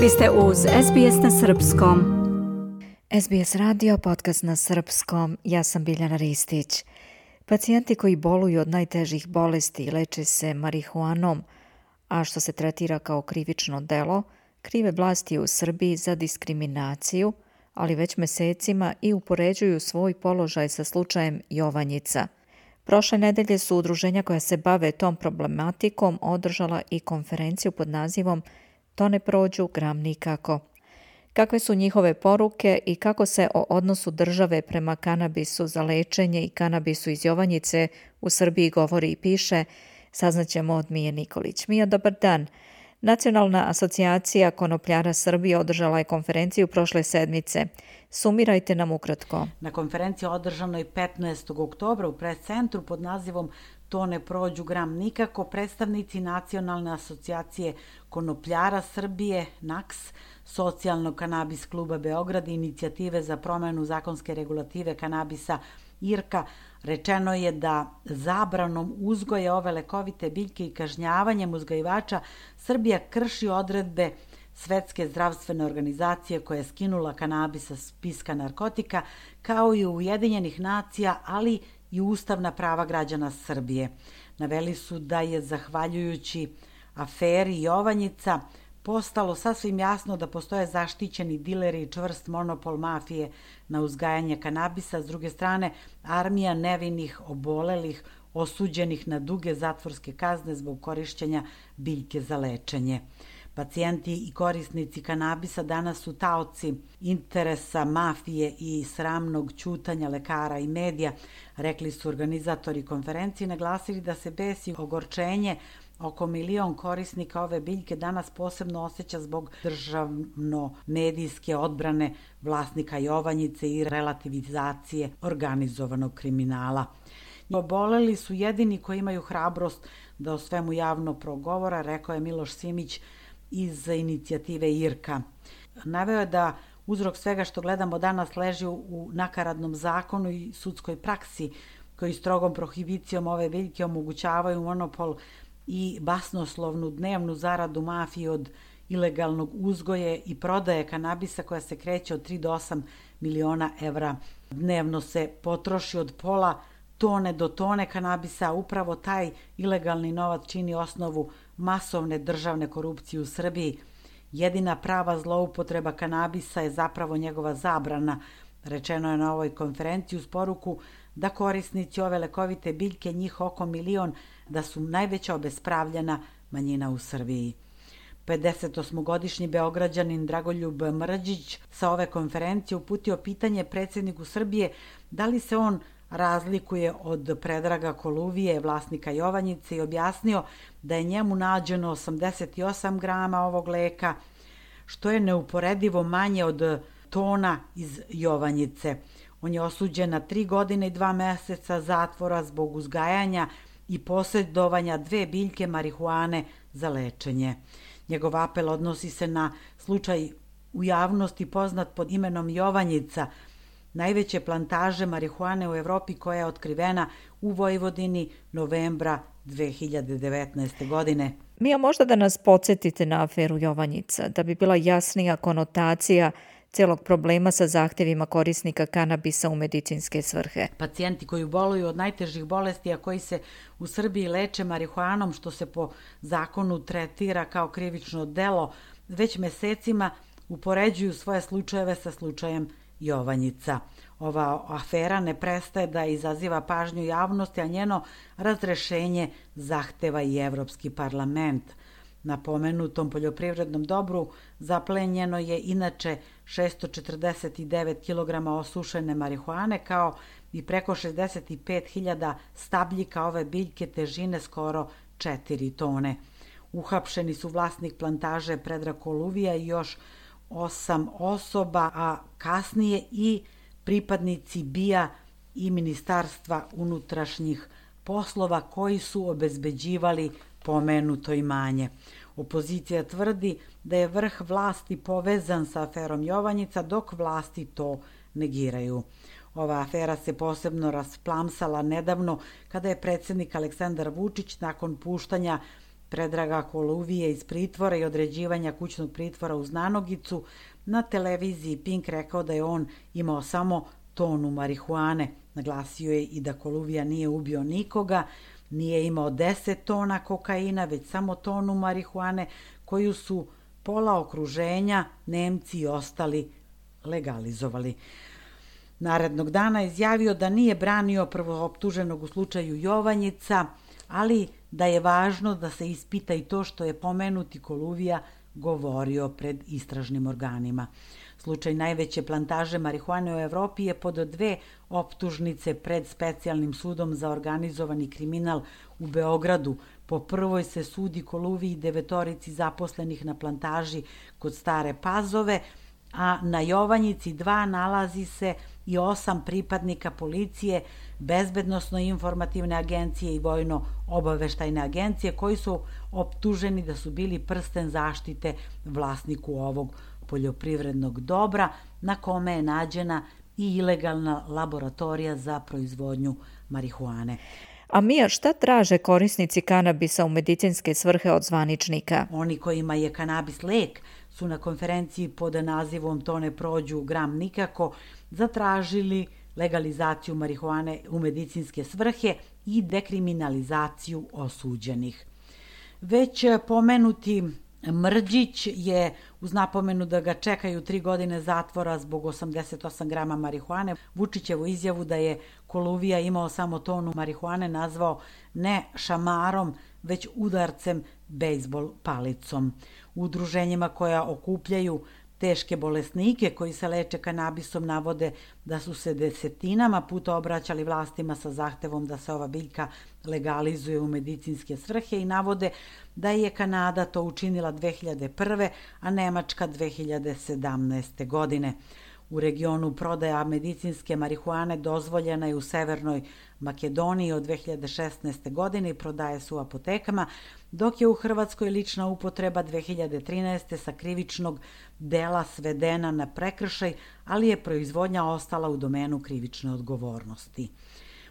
Vi ste uz SBS na Srpskom. SBS radio, podcast na Srpskom. Ja sam Biljana Ristić. Pacijenti koji boluju od najtežih bolesti leče se marihuanom, a što se tretira kao krivično delo, krive vlasti u Srbiji za diskriminaciju, ali već mesecima i upoređuju svoj položaj sa slučajem Jovanjica. Prošle nedelje su udruženja koja se bave tom problematikom održala i konferenciju pod nazivom To ne prođu, gram nikako. Kakve su njihove poruke i kako se o odnosu države prema kanabisu za lečenje i kanabisu iz Jovanjice u Srbiji govori i piše, saznaćemo od Mije Nikolić. Mija, dobar dan. Nacionalna asocijacija konopljara Srbije održala je konferenciju prošle sedmice. Sumirajte nam ukratko. Na konferenciji održanoj 15. oktobra u pres centru pod nazivom To ne prođu, gram nikako, predstavnici Nacionalne asocijacije konopljara Srbije, NAKS, Socijalnog kanabis kluba Beograd i inicijative za promenu zakonske regulative kanabisa IRKA, rečeno je da zabranom uzgoja ove lekovite biljke i kažnjavanjem uzgajivača Srbija krši odredbe Svetske zdravstvene organizacije koja je skinula kanabis sa spiska narkotika, kao i Ujedinjenih nacija, ali i ustavna prava građana Srbije. Naveli su da je zahvaljujući aferi Jovanjica postalo sasvim jasno da postoje zaštićeni dileri i čvrst monopol mafije na uzgajanje kanabisa, s druge strane armija nevinih, obolelih, osuđenih na duge zatvorske kazne zbog korišćenja biljke za lečenje. Pacijenti i korisnici kanabisa danas su taoci interesa mafije i sramnog ćutanja lekara i medija, rekli su organizatori konferencije, naglasili da se bes i ogorčenje oko 1 milion korisnika ove biljke danas posebno osjeća zbog državno-medijske odbrane vlasnika Jovanjice i relativizacije organizovanog kriminala. Oboleli su jedini koji imaju hrabrost da o svemu javno progovora, rekao je Miloš Simić iz inicijative IRKA. Naveo je da uzrok svega što gledamo danas leži u nakaradnom zakonu i sudskoj praksi koji strogom prohibicijom ove biljke omogućavaju monopol i basnoslovnu dnevnu zaradu mafije od ilegalnog uzgoje i prodaje kanabisa koja se kreće od 3 do 8 miliona evra. Dnevno se potroši od pola tone do tone kanabisa, a upravo taj ilegalni novac čini osnovu masovne državne korupcije u Srbiji. Jedina prava zloupotreba kanabisa je zapravo njegova zabrana, rečeno je na ovoj konferenciji uz poruku da korisnici ove lekovite biljke, njih oko 1 milion, da su najveća obespravljena manjina u Srbiji. 58-godišnji Beograđanin Dragoljub Mrđić sa ove konferencije uputio pitanje predsjedniku Srbije da li se on razlikuje od Predraga Koluvije, vlasnika Jovanjice, i objasnio da je njemu nađeno 88 grama ovog leka, što je neuporedivo manje od tona iz Jovanjice. On je osuđen na 3 godine i 2 meseca zatvora zbog uzgajanja i posjedovanja 2 biljke marihuane za lečenje. Njegov apel odnosi se na slučaj u javnosti poznat pod imenom Jovanjica, najveće plantaže marihuane u Evropi koja je otkrivena u Vojvodini novembra 2019. godine. Mija, možda da nas podsjetite na aferu Jovanjica, da bi bila jasnija konotacija celog problema sa zahtjevima korisnika kanabisa u medicinske svrhe. Pacijenti koji boluju od najtežih bolesti, a koji se u Srbiji leče marihuanom, što se po zakonu tretira kao krivično delo, već mesecima upoređuju svoje slučajeve sa slučajem Jovanjica. Ova afera ne prestaje da izaziva pažnju javnosti, a njeno razrešenje zahteva i Evropski parlament. Na pomenutom poljoprivrednom dobru zaplenjeno je inače 649 kg osušene marihuane, kao i preko 65.000 stabljika ove biljke težine skoro 4 tone. Uhapšeni su vlasnik plantaže Predrag Koluvija i još 8 osoba, a kasnije i pripadnici BIA i Ministarstva unutrašnjih poslova koji su obezbeđivali pomenuto imanje. Opozicija tvrdi da je vrh vlasti povezan sa aferom Jovanjica, dok vlasti to negiraju. Ova afera se posebno rasplamsala nedavno kada je predsjednik Aleksandar Vučić nakon puštanja Predraga Koluvije iz pritvora i određivanja kućnog pritvora uz nanogicu, na televiziji Pink rekao da je on imao samo tonu marihuane. Naglasio je i da Koluvija nije ubio nikoga, nije imao 10 tona kokaina, već samo tonu marihuane koju su pola okruženja, Nemci i ostali legalizovali. Narednog dana izjavio da nije branio prvooptuženog u slučaju Jovanjica, ali da je važno da se ispita i to što je pomenuti Koluvija govorio pred istražnim organima. Slučaj najveće plantaže marihuane u Evropi je pod 2 optužnice pred specijalnim sudom za organizovani kriminal u Beogradu. Po prvoj se sudi Koluviji 9 zaposlenih na plantaži kod Stare Pazove, a na Jovanjici 2 nalazi se i 8 pripadnika policije, bezbednosno-informativne agencije i vojno-obaveštajne agencije koji su optuženi da su bili prsten zaštite vlasniku ovog poljoprivrednog dobra na kome je nađena i ilegalna laboratorija za proizvodnju marihuane. A Mija, šta traže korisnici kanabisa u medicinske svrhe od zvaničnika? Oni kojima je kanabis lek su na konferenciji pod nazivom To ne prođu gram nikako zatražili legalizaciju marihuane u medicinske svrhe i dekriminalizaciju osuđenih. Već pomenuti Mrđić je, uz napomenu da ga čekaju 3 godine zatvora zbog 88 grama marihuane, Vučićevu izjavu da je Koluvija imao samo tonu marihuane nazvao ne šamarom, već udarcem bejzbol palicom. U udruženjima koja okupljaju teške bolesnike koji se leče kanabisom navode da su se desetinama puta obraćali vlastima sa zahtevom da se ova biljka legalizuje u medicinske svrhe i navode da je Kanada to učinila 2001. a Nemačka 2017. godine. U regionu prodaja medicinske marihuane dozvoljena je u Severnoj Makedoniji od 2016. godine i prodaje se u apotekama, dok je u Hrvatskoj lična upotreba 2013. sa krivičnog dela svedena na prekršaj, ali je proizvodnja ostala u domenu krivične odgovornosti.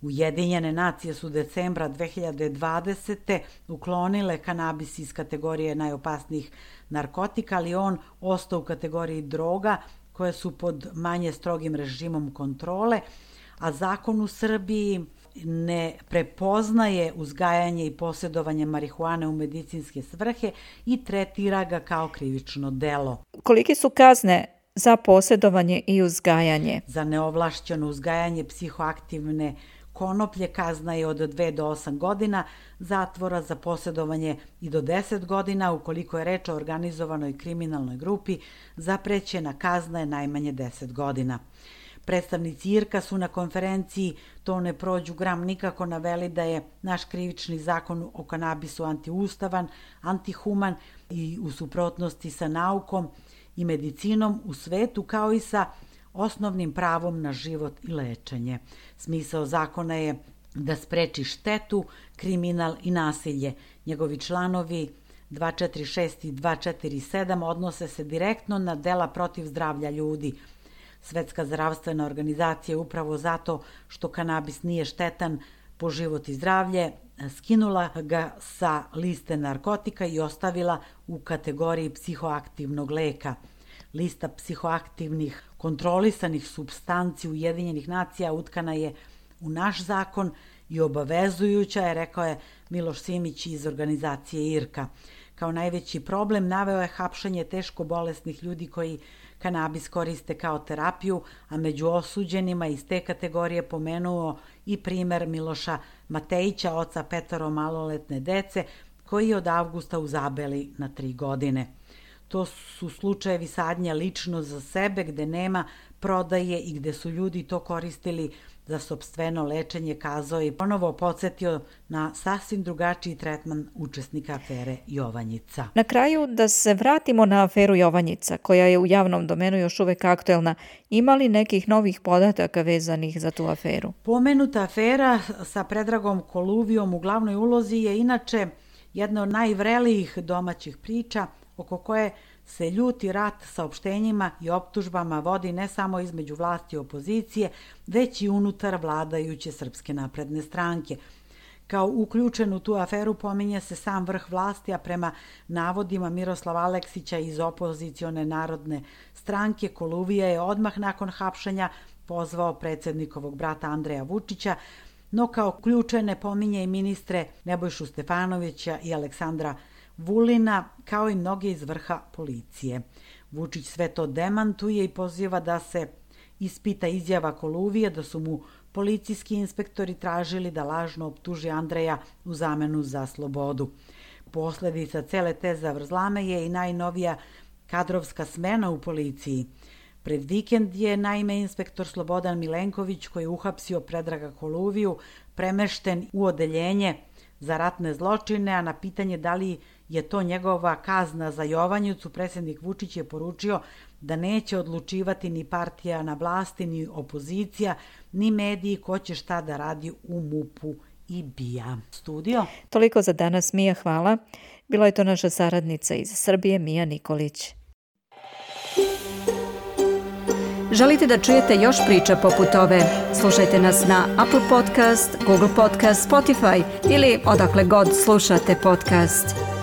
Ujedinjene nacije su decembra 2020. uklonile kanabis iz kategorije najopasnijih narkotika, ali on ostao u kategoriji droga koje su pod manje strogim režimom kontrole, a zakon u Srbiji ne prepoznaje uzgajanje i posjedovanje marihuane u medicinske svrhe i tretira ga kao krivično delo. Kolike su kazne za posjedovanje i uzgajanje? Za neovlašćeno uzgajanje psihoaktivne konoplje kazna je od 2 do 8 godina zatvora, za posjedovanje i do 10 godina, ukoliko je reč o organizovanoj kriminalnoj grupi, zaprećena kazna je najmanje 10 godina. Predstavnici IRK-a su na konferenciji To ne prođu gram nikako naveli da je naš krivični zakon o kanabisu antiustavan, antihuman i u suprotnosti sa naukom i medicinom u svetu, kao i sa osnovnim pravom na život i lečenje. Smisao zakona je da spreči štetu, kriminal i nasilje. Njegovi članovi 246 i 247 odnose se direktno na dela protiv zdravlja ljudi. Svetska zdravstvena organizacija upravo zato što kanabis nije štetan po život i zdravlje, skinula ga sa liste narkotika i ostavila u kategoriji psihoaktivnog leka. Lista psihoaktivnih kontrolisanih supstanci Ujedinjenih nacija utkana je u naš zakon i obavezujuća je, rekao je Miloš Simić iz organizacije IRK-a. Kao najveći problem naveo je hapšenje teško bolesnih ljudi koji kanabis koriste kao terapiju, a među osuđenima iz te kategorije pomenuo i primer Miloša Matejića, oca 5 maloletne dece, koji je od avgusta u Zabeli na 3 godine. To su slučajevi sadnja lično za sebe, gde nema prodaje i gde su ljudi to koristili za sopstveno lečenje, kazao i ponovo podsjetio na sasvim drugačiji tretman učesnika afere Jovanjica. Na kraju da se vratimo na aferu Jovanjica, koja je u javnom domenu još uvek aktuelna. Ima li nekih novih podataka vezanih za tu aferu? Pomenuta afera sa Predragom Koluvijom u glavnoj ulozi je inače jedna od najvrelijih domaćih priča oko koje se ljuti rat saopštenjima i optužbama vodi ne samo između vlasti i opozicije, već i unutar vladajuće Srpske napredne stranke. Kao uključen u tu aferu pominje se sam vrh vlasti, a prema navodima Miroslava Aleksića iz opozicione Narodne stranke, Koluvija je odmah nakon hapšenja pozvao predsjednikovog brata Andreja Vučića, no kao ključene pominje i ministre Nebojšu Stefanovića i Aleksandra Vulina, kao i mnoge iz vrha policije. Vučić sve to demantuje i poziva da se ispita izjava Koluvije da su mu policijski inspektori tražili da lažno optuži Andreja u zamenu za slobodu. Posledica cele te zavrzlame je i najnovija kadrovska smena u policiji. Pred vikend je naime inspektor Slobodan Milenković, koji je uhapsio Predraga Koluviju, premešten u odeljenje za ratne zločine, a na pitanje da li je to njegova kazna za Jovanjicu, predsjednik Vučić je poručio da neće odlučivati ni partija na vlasti, ni opozicija, ni mediji ko će šta da radi u MUP-u i BIA. Studio. Toliko za danas, Mija, hvala. Bila je to naša saradnica iz Srbije, Mija Nikolić. Želite da čujete još priča poput ove? Slušajte nas na Apple Podcast, Google Podcast, Spotify ili odakle god slušate podcast.